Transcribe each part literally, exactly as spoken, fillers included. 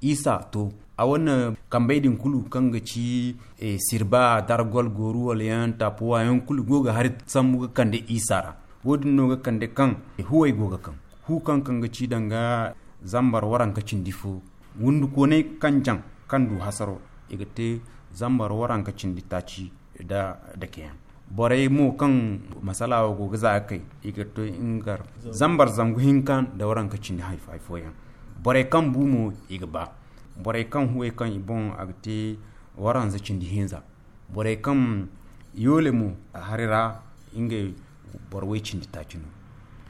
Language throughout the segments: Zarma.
Isa to, a wane kambey din kulu kaŋ ga ci sirba, dargol, gooru wala yaŋ, tapuwa yaŋ kulu go ga hari sambu ga kande isa ra. Wo- din no ga kande kaŋ huwey go ga kaŋ hu kaŋ kaŋ ga ci danga zambar waranka cindi fo, wundu koonay kaŋ jaŋ kaŋ du hasaro, i ga te zambar waranka cindi taaci da dakeyaŋ. Borey mo kaŋ masala wo go ga za ga kay, i ga to ingar zambar zangu hinka nda waranka cindi hari fooyaŋ. Borey kaŋ bu mo, i ga ba. Borey kaŋ huwey kaŋ i boŋ a ga te waranza cindi hinza. Borey kaŋ yoole mo, hari ra ngey boro way cindi taaci no.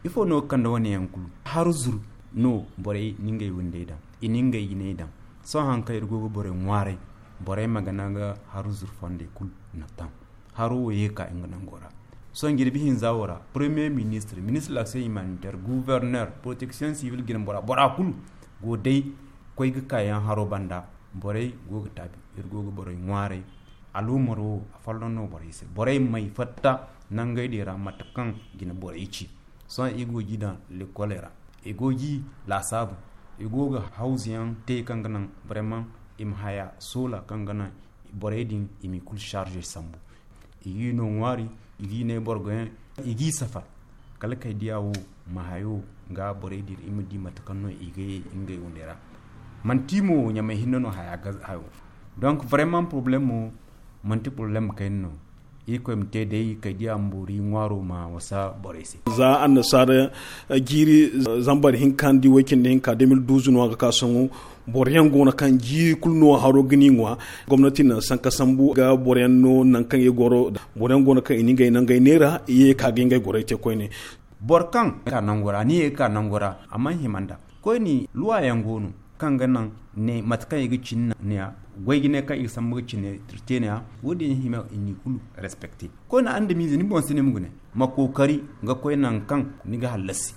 Ifo no ga kande wane yaŋ kulu? Haru zur no borey na ngey windey daŋ, i na ngey jinay daŋ. Sohõ hari kaŋ iri go ga borey ŋwaaray, borey ma gana ga haru zur fondey kulu na taŋ. Haro wo ye ga ka nga nango ra. Sohõ jirbi hinza wo ra, premier ministre, ministre de l'action humanitaire, gouverneur, protection civile jine bora, bora kulu go day koy ga ka yaŋ haro banda. Borey go ga taabi, iri go ga borey ŋwaaray. Aluumaro wo, a folloŋ no borey se. Borey may fatta nangey din ra mate kaŋ jine borey ci. Sohõ i go ga i daŋ lekoley ra, i go ga i laasaabu, i go ga hawzu yaŋ te kaŋ ga naŋ vraiment i ma haya soola kaŋ ga naŋ borey din i m'i kulu charge sambu. I g'i no ŋwaari, i g'i ne borgoyaŋ, i g'i safar. Kala kay diya wo ma hayo ga borey din, i ma di mate kaŋ no i ga ye ngey windey ra. Manti mo ɲamay hinne no haya ga hayo. Donc vraiment problème mo manti problème kayna no. Irkoy ma te day kay diya ma boori ŋwaaro ma wasa borey se. Za annasaara jiiri zambar hinka nda way cindi hinka deux mille douze no a ga ka sohõ. Boroyaŋ go no kaŋ jiiri kulu no haro ga ni ŋwa. Gomnati na sanka sambu ga boroyaŋ no nangu kaŋ i goro. Boroyaŋ go no kaŋ i na ngey nangey neera i ye ga ka ga ngey gorey te koyne. Boro kaŋ ka nango ra ni ye ga ka nango ra a mana hima nda koyne luwa yaŋ go no kaŋ ga naŋ ne mate kaŋ i ga cine ne ya. Goy ga ne kaŋ i ga sambu ga cine te ne ya. Wo- din hima i n'i kulu respecte. Koyne andamize ni boŋ si ne ma ga ne ma kookari ga koy nangu kaŋ ni ga hallasi.